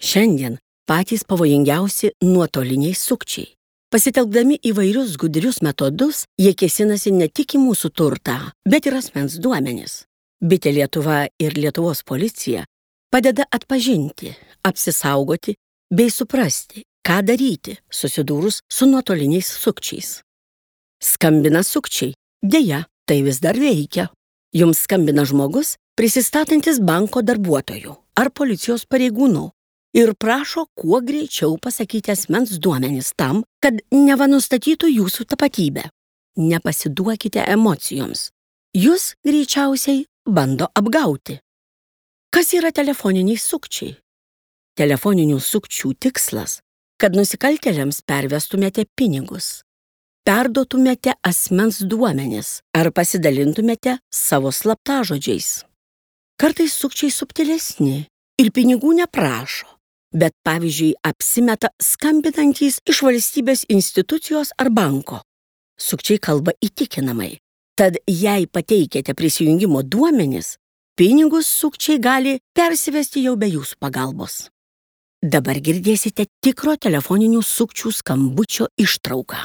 Šiandien patys pavojingiausi nuotoliniai sukčiai. Pasitelkdami įvairius gudrius metodus, jie kėsinasi ne tik į mūsų turtą, bet ir asmens duomenis. Bitė Lietuva ir Lietuvos policija padeda atpažinti, apsisaugoti bei suprasti, ką daryti, susidūrus su nuotoliniais sukčiais. Skambina sukčiai. Deja, tai vis dar veikia. Jums skambina žmogus, prisistatantis banko darbuotojų ar policijos pareigūnų ir prašo kuo greičiau pasakyti asmens duomenis tam, kad neva nustatytų jūsų tapatybę. Nepasiduokite emocijoms. Jūs greičiausiai bando apgauti. Kas yra telefoniniai sukčiai? Telefoninių sukčių tikslas, kad nusikaltėliams pervestumėte pinigus, perduotumėte asmens duomenis ar pasidalintumėte savo slaptažodžiais. Kartais sukčiai subtilesni ir pinigų neprašo, bet pavyzdžiui apsimeta skambinantys iš valstybės institucijos ar banko. Sukčiai kalba įtikinamai, tad jei pateikėte prisijungimo duomenis, pinigus sukčiai gali persivesti jau be jūsų pagalbos. Dabar girdėsite tikro telefoninių sukčių skambučio ištrauką.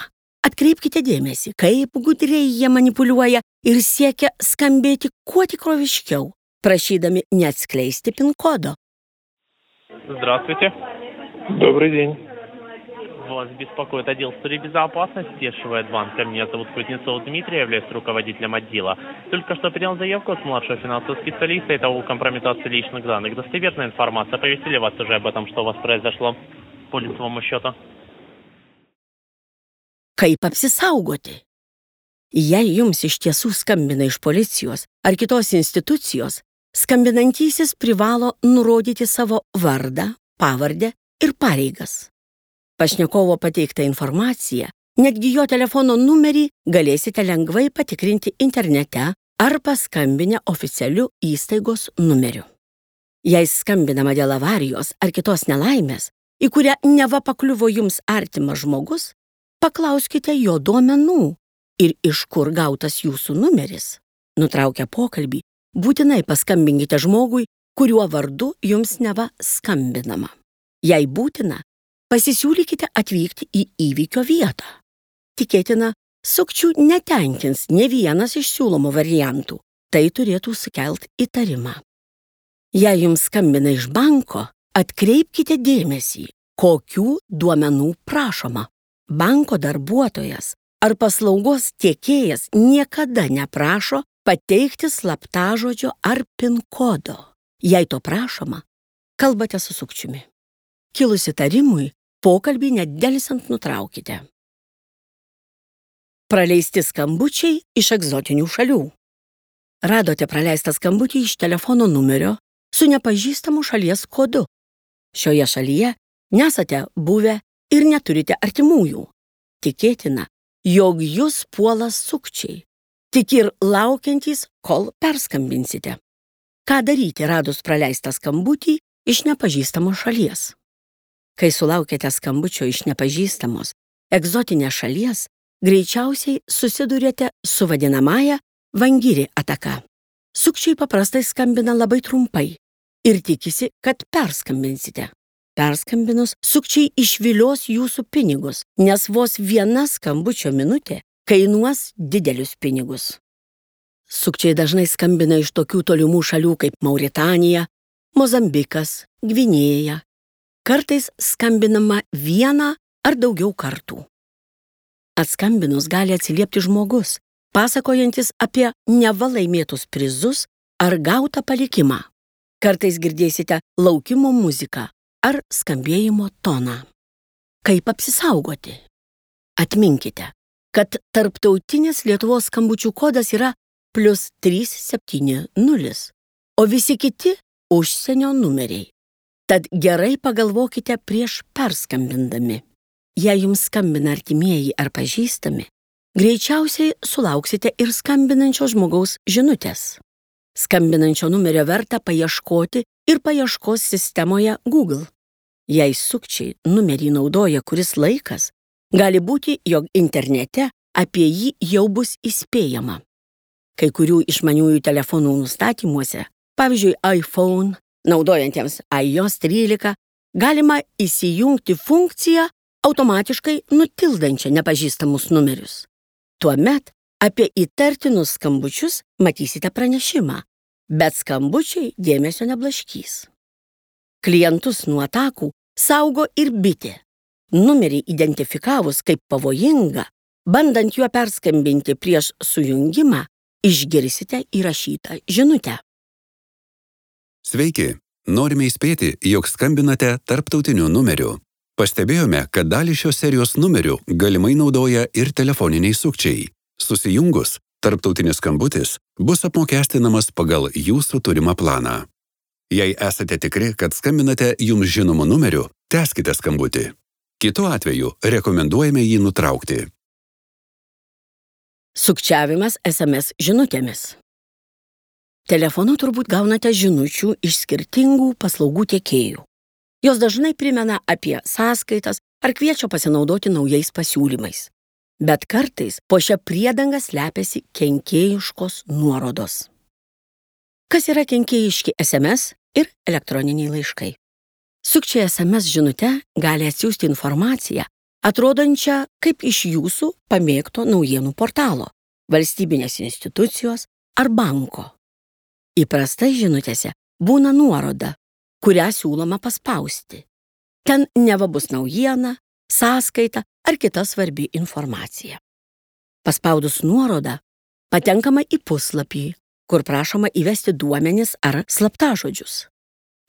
Atkreipkite dėmesį, kaip gudriai jie manipuliuoja ir siekia skambėti kuo tikroviškiau, prašydами neatskleisti PIN kodo. Здравствуйте. Добрый день. Вас беспокоит отдел безопасности Шведбанка. Меня зовут Кузнецов Дмитрий, я являюсь руководителем отдела. Только что принял заявку от младшего финансового специалиста. Это о компрометации личных данных. Достоверная информация. Оповестили вас уже об этом, что у вас произошло по лицевому счету? Kaip apsisaugoti? Jei jums iš tiesų skambina iš policijos ar kitos institucijos, skambinantysis privalo nurodyti savo vardą, pavardę ir pareigas. Pašnekovo pateiktą informaciją, netgi jo telefono numerį galėsite lengvai patikrinti internete ar paskambinę oficialiu įstaigos numeriu. Jei skambinama dėl avarijos ar kitos nelaimės, į kurią neva pakliuvo jums artimas žmogus, paklauskite jo duomenų ir iš kur gautas jūsų numeris. Nutraukę pokalbį, būtinai paskambinkite žmogui, kuriuo vardu jums neva skambinama. Jei būtina, pasisiūlykite atvykti į įvykio vietą. Tikėtina, sukčių netenkins ne vienas iš siūlomų variantų. Tai turėtų sukelti įtarimą. Jei jums skambina iš banko, atkreipkite dėmesį, kokių duomenų prašoma. Banko darbuotojas ar paslaugos tiekėjas niekada neprašo pateikti slaptažodžio ar PIN kodo. Jei to prašoma, kalbate su sukčiumi. Kilus įtarimui, pokalbį nedelsiant nutraukite. Praleisti skambučiai iš egzotinių šalių. Radote praleistą skambutį iš telefono numerio su nepažįstamu šalies kodu. Šioje šalyje nesate buvę ir neturite artimųjų. Tikėtina, jog jūs puola sukčiai, tik ir laukiantys, kol perskambinsite. Ką daryti radus praleistą skambutį iš nepažįstamos šalies? Kai sulaukėte skambučio iš nepažįstamos, egzotinės šalies, greičiausiai susidurėte su vadinamąja vangiri ataka. Sukčiai paprastai skambina labai trumpai ir tikisi, kad perskambinsite. Perskambinus, sukčiai išvilios jūsų pinigus, nes vos viena skambučio minutė kainuos didelius pinigus. Sukčiai dažnai skambina iš tokių tolimų šalių kaip Mauritanija, Mozambikas, Gvinėja. Kartais skambinama vieną ar daugiau kartų. Atskambinus gali atsiliepti žmogus, pasakojantis apie neva laimėtus prizus ar gautą palikimą. Kartais girdėsite laukimo muziką ar skambėjimo toną. Kaip apsisaugoti? Atminkite, kad tarptautinis Lietuvos skambučių kodas yra +370, o visi kiti užsienio numeriai. Tad gerai pagalvokite prieš perskambindami. Jei jums skambina artimieji ar pažįstami, greičiausiai sulauksite ir skambinančio žmogaus žinutės. Skambinančio numerio verta paieškoti ir paieškos sistemoje Google. Jei sukčiai numerį naudoja kuris laikas, gali būti, jog internete apie jį jau bus įspėjama. Kai kurių išmaniųjų telefonų nustatymuose, pavyzdžiui iPhone, naudojantiems iOS 13, galima įsijungti funkciją automatiškai nutildančią nepažįstamus numerius. Tuomet apie įtartinus skambučius matysite pranešimą, bet skambučiai dėmesio neblaškys. Klientus nuo atakų saugo ir bitė. Numerį identifikavus kaip pavojingą, bandant juo perskambinti prieš sujungimą, išgirsite įrašytą žinutę. Sveiki, norime įspėti, jog skambinate tarptautiniu numeriu. Pastebėjome, kad dalį šios serijos numerių galimai naudoja ir telefoniniai sukčiai. Susijungus, tarptautinis skambutis bus apmokestinamas pagal jūsų turimą planą. Jei esate tikri, kad skambinate jums žinomu numeriu, tęskite skambutį. Kitu atveju rekomenduojame jį nutraukti. Sukčiavimas SMS žinutėmis. Telefonu turbūt gaunate žinučių iš skirtingų paslaugų tiekėjų. Jos dažnai primena apie sąskaitas ar kviečia pasinaudoti naujais pasiūlymais. Bet kartais po šią priedangą slepiasi kenkėjiškos nuorodos. Kas yra kenkėjiški SMS ir elektroniniai laiškai? Sukčiai SMS žinute gali atsiųsti informaciją, atrodančią kaip iš jūsų pamėgto naujienų portalo, valstybinės institucijos ar banko. Įprastai žinutėse būna nuoroda, kurią siūloma paspausti. Ten neva bus naujiena, sąskaita ar kita svarbi informacija. Paspaudus nuorodą, patenkama į puslapį, kur prašoma įvesti duomenis ar slaptažodžius.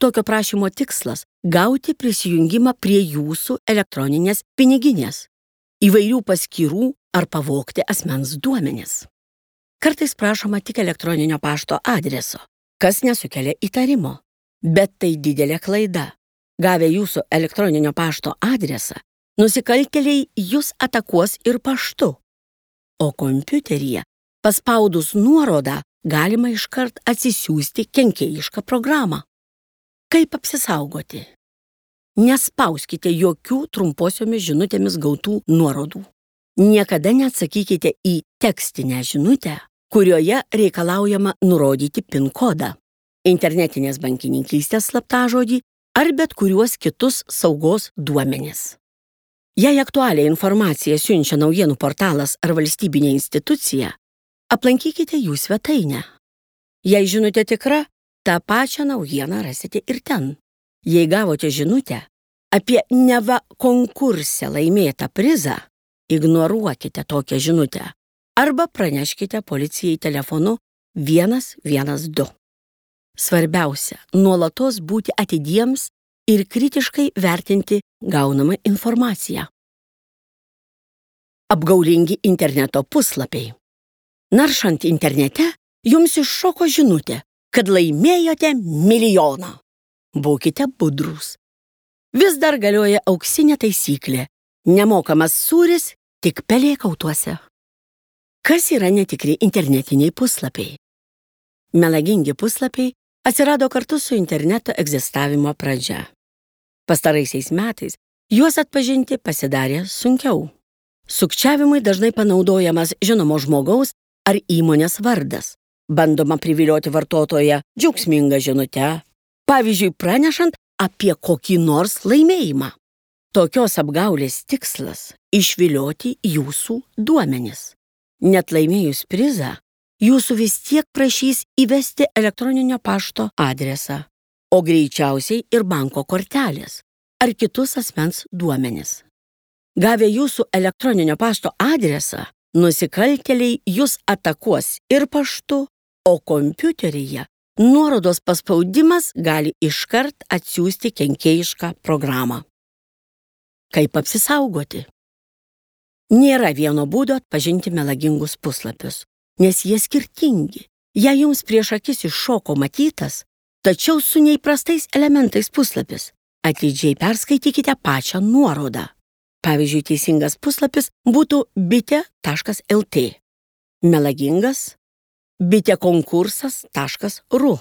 Tokio prašymo tikslas – gauti prisijungimą prie jūsų elektroninės piniginės, įvairių paskyrų ar pavogti asmens duomenis. Kartais prašoma tik elektroninio pašto adreso, kas nesukelia įtarimo. Bet tai didelė klaida. Gavę jūsų elektroninio pašto adresą, nusikaltėliai jūs atakuos ir paštu. O kompiuteryje, paspaudus nuorodą, galima iškart atsisiųsti kenkėjišką programą. Kaip apsisaugoti? Nespauskite jokių trumposiomis žinutėmis gautų nuorodų. Niekada neatsakykite į tekstinę žinutę, kurioje reikalaujama nurodyti PIN kodą, internetinės bankininkystės slaptažodį ar bet kuriuos kitus saugos duomenis. Jei aktualią informaciją siunčia naujienų portalas ar valstybinė institucija, aplankykite jų svetainę. Jei žinutė tikra, tą pačią naujieną rasite ir ten. Jei gavote žinutę apie neva konkurse laimėtą prizą, ignoruokite tokią žinutę arba praneškite policijai telefonu 112. Svarbiausia, nuolatos būti atidiems ir kritiškai vertinti gaunamą informaciją. Apgaulingi interneto puslapiai. Naršant internete, jums iššoko žinutė, kad laimėjote milijoną. Būkite budrūs. Vis dar galioja auksinė taisyklė – nemokamas sūris tik pelėkautuose. Kas yra netikri internetiniai puslapiai? Melagingi puslapiai atsirado kartu su interneto egzistavimo pradžia. Pastaraisiais metais juos atpažinti pasidarė sunkiau. Sukčiavimui dažnai panaudojamas žinomo žmogaus ar įmonės vardas. Bandoma privilioti vartotoją džiaugsmingą žinutę, pavyzdžiui, pranešant apie kokį nors laimėjimą. Tokios apgaulės tikslas – išvilioti jūsų duomenis. Net laimėjus prizą, jūsų vis tiek prašys įvesti elektroninio pašto adresą, o greičiausiai ir banko kortelės ar kitus asmens duomenis. Gavę jūsų elektroninio pašto adresą, nusikaltėliai jūs atakuos ir paštu, o kompiuteryje nuorodos paspaudimas gali iškart atsiųsti kenkėjišką programą. Kaip apsisaugoti? Nėra vieno būdo atpažinti melagingus puslapius, nes jie skirtingi. Jei jums prieš akis iššoko matytas, tačiau su neįprastais elementais puslapis, atidžiai perskaitykite pačią nuorodą. Pavyzdžiui, teisingas puslapis būtų bitė.lt, melagingas bitėkonkursas.ru.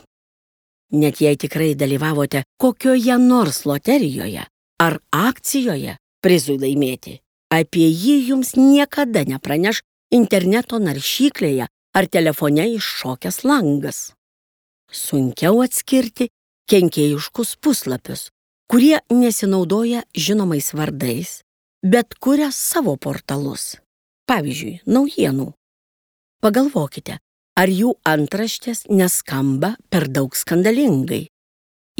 Net jei tikrai dalyvavote kokioje nors loterijoje ar akcijoje prizui laimėti, apie jį jums niekada nepraneš interneto naršyklėje ar telefone iššokęs langas. Sunkiau atskirti kenkėjiškus puslapius, kurie nesinaudoja žinomais vardais, bet kuria savo portalus. Pavyzdžiui, naujienų. Pagalvokite, ar jų antraštės neskamba per daug skandalingai.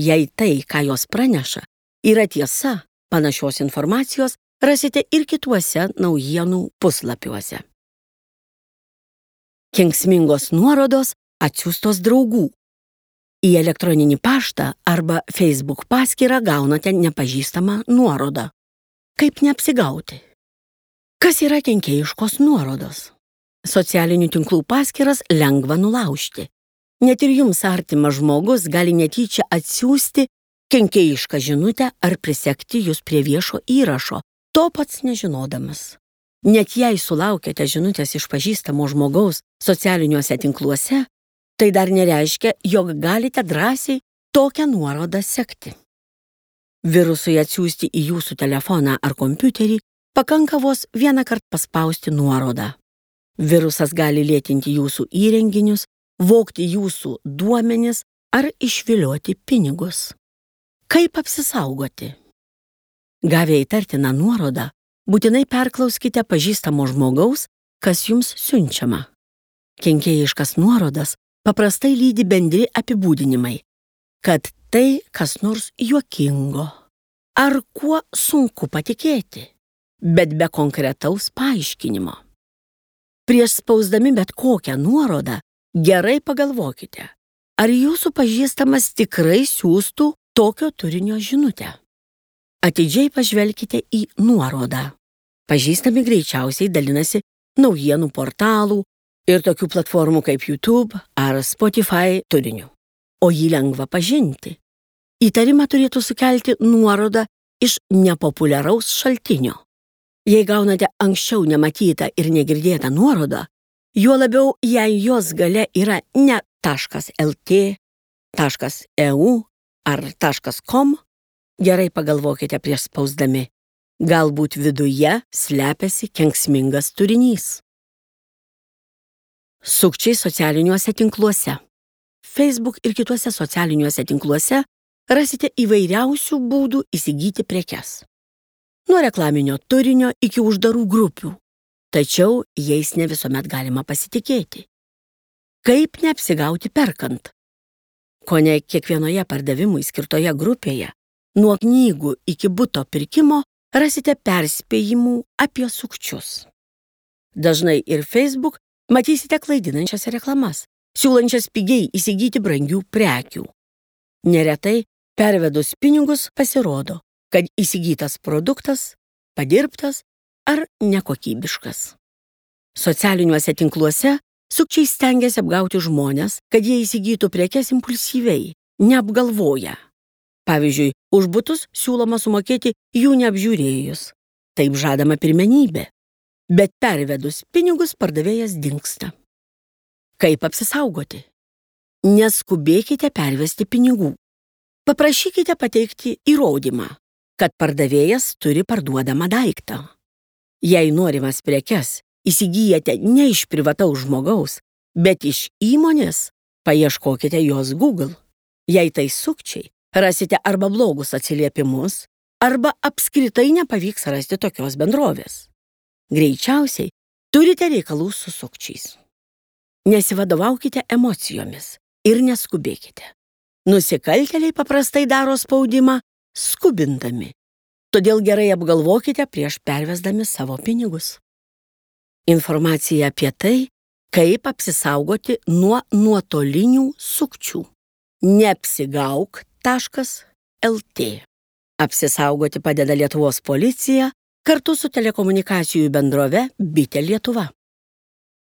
Jei tai, ką jos praneša, yra tiesa, panašios informacijos rasite ir kituose naujienų puslapiuose. Kenksmingos nuorodos atsiųstos draugų. Į elektroninį paštą arba Facebook paskyrą gaunate nepažįstamą nuorodą. Kaip neapsigauti? Kas yra kenkėjiškos nuorodos? Socialinių tinklų paskyras lengva nulaužti. Net ir jums artimas žmogus gali netyčia atsiųsti kenkėjišką žinutę ar prisekti jūs prie viešo įrašo, to pats nežinodamas. Net jei sulaukėte žinutės iš pažįstamo žmogaus socialiniuose tinkluose, tai dar nereiškia, jog galite drąsiai tokią nuorodą sekti. Virusui atsiųsti į jūsų telefoną ar kompiuterį pakanka vos vieną kartą paspausti nuorodą. Virusas gali lėtinti jūsų įrenginius, vogti jūsų duomenis ar išvilioti pinigus. Kaip apsisaugoti? Gavę įtartiną nuorodą, būtinai perklauskite pažįstamo žmogaus, kas jums siunčiama. Kenkėjiškas nuorodas paprastai lydi bendri apibūdinimai, kad tai kas nors juokingo ar kuo sunku patikėti, bet be konkretaus paaiškinimo. Prieš spausdami bet kokią nuorodą, gerai pagalvokite, ar jūsų pažįstamas tikrai siųstų tokio turinio žinutę. Atidžiai pažvelkite į nuorodą. Pažįstami greičiausiai dalinasi naujienų portalų ir tokių platformų kaip YouTube ar Spotify turiniu. O jį lengva pažinti. Įtarimą turėtų sukelti nuoroda iš nepopuliaraus šaltinio. Jei gaunate anksčiau nematytą ir negirdėtą nuorodą, juo labiau, jei jos gale yra ne .lt, .eu ar .com, gerai pagalvokite prieš spausdami. Galbūt viduje slepiasi kenksmingas turinys. Sukčiai socialiniuose tinkluose. Facebook ir kituose socialiniuose tinkluose rasite įvairiausių būdų įsigyti prekes. Nuo reklaminio turinio iki uždarų grupių, tačiau jais ne visuomet galima pasitikėti. Kaip neapsigauti perkant? Kone kiekvienoje pardavimui skirtoje grupėje, nuo knygų iki buto pirkimo, rasite perspėjimų apie sukčius. Dažnai ir Facebook matysite klaidinančias reklamas, siūlančias pigiai įsigyti brangių prekių. Neretai pervedus pinigus pasirodo, kad įsigytas produktas padirbtas ar nekokybiškas. Socialiniuose tinkluose sukčiai stengiasi apgauti žmones, kad jie įsigytų prekes impulsyviai, neapgalvoję. Pavyzdžiui, už butus siūloma sumokėti jų neapžiūrėjus. Taip žadama pirmenybė. Bet pervedus pinigus pardavėjas dingsta. Kaip apsisaugoti? Neskubėkite pervesti pinigų. Paprašykite pateikti įrodymą, kad pardavėjas turi parduodamą daiktą. Jei norimas prekes įsigyjate ne iš privataus žmogaus, bet iš įmonės, paieškokite jos Google. Jei tai sukčiai, rasite arba blogus atsiliepimus, arba apskritai nepavyks rasti tokios bendrovės. Greičiausiai turite reikalų su sukčiais. Nesivadovaukite emocijomis ir neskubėkite. Nusikaltėliai paprastai daro spaudimą skubindami, todėl gerai apgalvokite prieš pervesdami savo pinigus. Informacija apie tai, kaip apsisaugoti nuo nuotolinių sukčių. Neapsigauk.lt. Apsisaugoti padeda Lietuvos policija kartu su telekomunikacijų bendrove Bitė Lietuva.